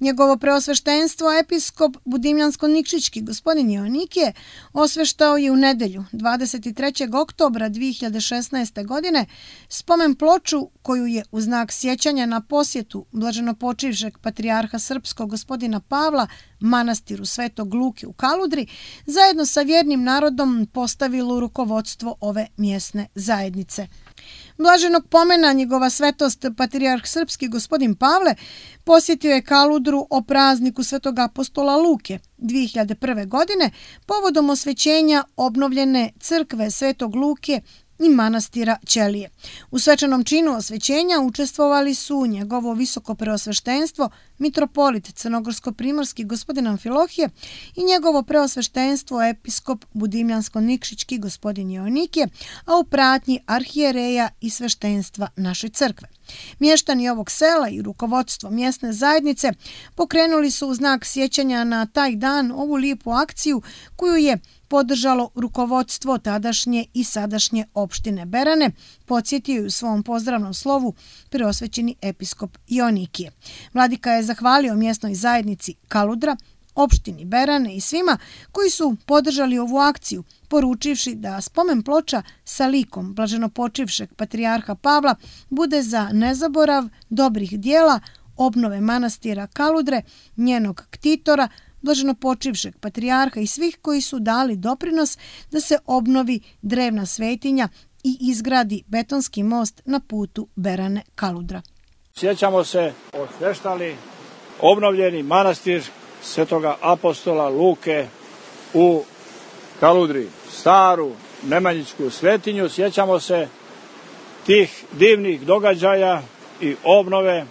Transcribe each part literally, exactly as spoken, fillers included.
Njegovo preosveštenstvo episkop Budimljansko-Nikšićki gospodin Joanikije osveštao je u nedelju dvadeset trećeg oktobra dvije hiljade šesnaeste. godine spomen ploču koju je u znak sjećanja na posjetu blaženopočivšeg patrijarha srpskog gospodina Pavla manastiru Svetog Luke u Kaludri zajedno sa vjernim narodom postavilo rukovodstvo ove mjesne zajednice. Blaženog pomena njegova svetost patrijarh srpski gospodin Pavle posjetio je Kaludru o prazniku Svetog apostola Luke dvije hiljade prve. godine povodom osvećenja obnovljene crkve Svetog Luke i manastira Ćelije. U svečanom činu osvećenja učestvovali su njegovo visoko preosveštenstvo mitropolit crnogorsko-primorski gospodin Amfilohije i njegovo preosveštenstvo episkop Budimljansko-Nikšićki gospodin Joanikije, a u pratnji arhijereja i sveštenstva naše crkve. Mještani ovog sela i rukovodstvo mjesne zajednice pokrenuli su u znak sjećanja na taj dan ovu lijepu akciju koju je podržalo rukovodstvo tadašnje i sadašnje opštine Berane, podsjetio je u svom pozdravnom slovu preosvećeni episkop Joanikije. Vladika je zahvalio mjesnoj zajednici Kaludra, opštini Berane i svima koji su podržali ovu akciju, poručivši da spomen ploča sa likom blaženopočivšeg patrijarha Pavla bude za nezaborav dobrih dijela obnove manastira Kaludre, njenog ktitora, blaženopočivšeg patrijarha i svih koji su dali doprinos da se obnovi drevna svetinja i izgradi betonski most na putu Berane-Kaludra. Sjećamo se osveštali obnovljeni manastir Svetoga apostola Luke u Kaludri, staru nemanjićku svetinju. Sjećamo se tih divnih događaja i obnove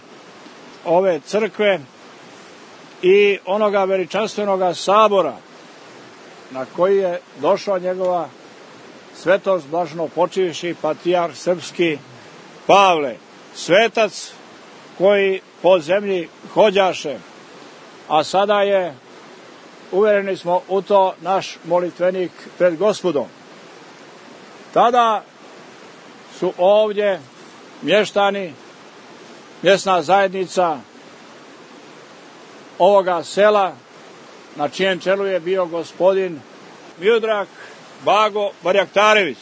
ove crkve i onoga veličanstvenoga sabora na koji je došao njegova svetost blaženopočivši patrijarh srpski Pavle, svetac koji po zemlji hođaše, a sada je, uvereni smo u to, naš molitvenik pred Gospodom. Tada su ovdje mještani, mjesna zajednica ovoga sela, na čijem čelu je bio gospodin Miodrag Bago Barjaktarević,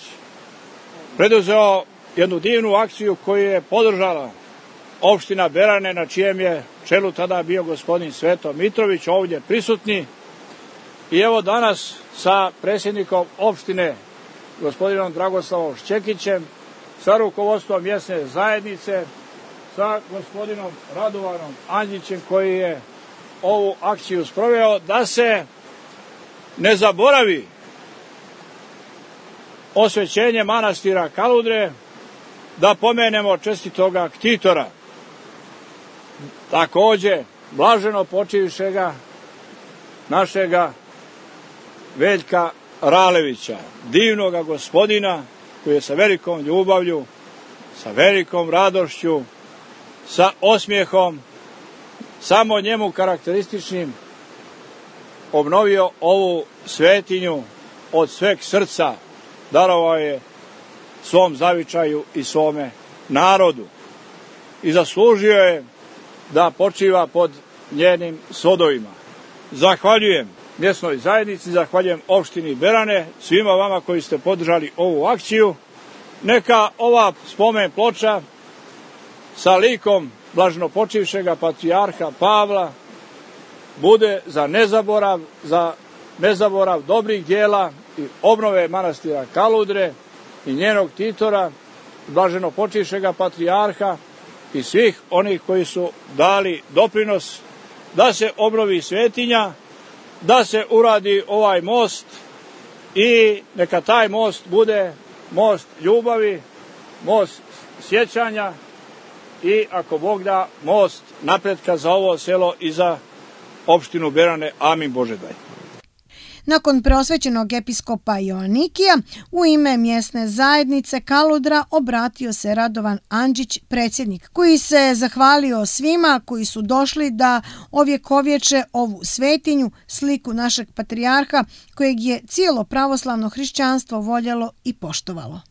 preduzeo jednu divnu akciju koju je podržala opština Berane, na čijem je čelu tada bio gospodin Sveto Mitrović, ovdje prisutni. I evo danas sa predsjednikom opštine, gospodinom Dragoslavom Šćekićem, sa rukovodstvom mjesne zajednice, sa gospodinom Radovanom Andjićem koji je ovu akciju sproveo, da se ne zaboravi osvećenje manastira Kaludre, da pomenemo čestitoga ktitora, također blaženo počivšega našega Veljka Ralevića, divnoga gospodina koji je sa velikom ljubavlju, sa velikom radošću, sa osmijehom, samo njemu karakterističnim, obnovio ovu svetinju od sveg srca, darovao je svom zavičaju i svome narodu i zaslužio je da počiva pod njenim svodovima. Zahvaljujem mjesnoj zajednici, zahvaljujem opštini Berane, svima vama koji ste podržali ovu akciju. Neka ova spomen ploča sa likom blaženopočivšega patrijarha Pavla bude za nezaborav, za nezaborav dobrih dijela i obnove manastira Kaludre i njenog ktitora, blaženopočivšega patrijarha i svih onih koji su dali doprinos da se obnovi svetinja, da se uradi ovaj most i neka taj most bude most ljubavi, most sjećanja i, ako Bog da, most napretka za ovo selo i za opštinu Berane. Amin Bože daj. Nakon preosvećenog episkopa Joanikija, u ime mjesne zajednice Kaludra obratio se Radovan Andjić, predsjednik, koji se zahvalio svima koji su došli da ovjekovječe ovu svetinju, sliku našeg patrijarha, kojeg je cijelo pravoslavno hrišćanstvo voljelo i poštovalo.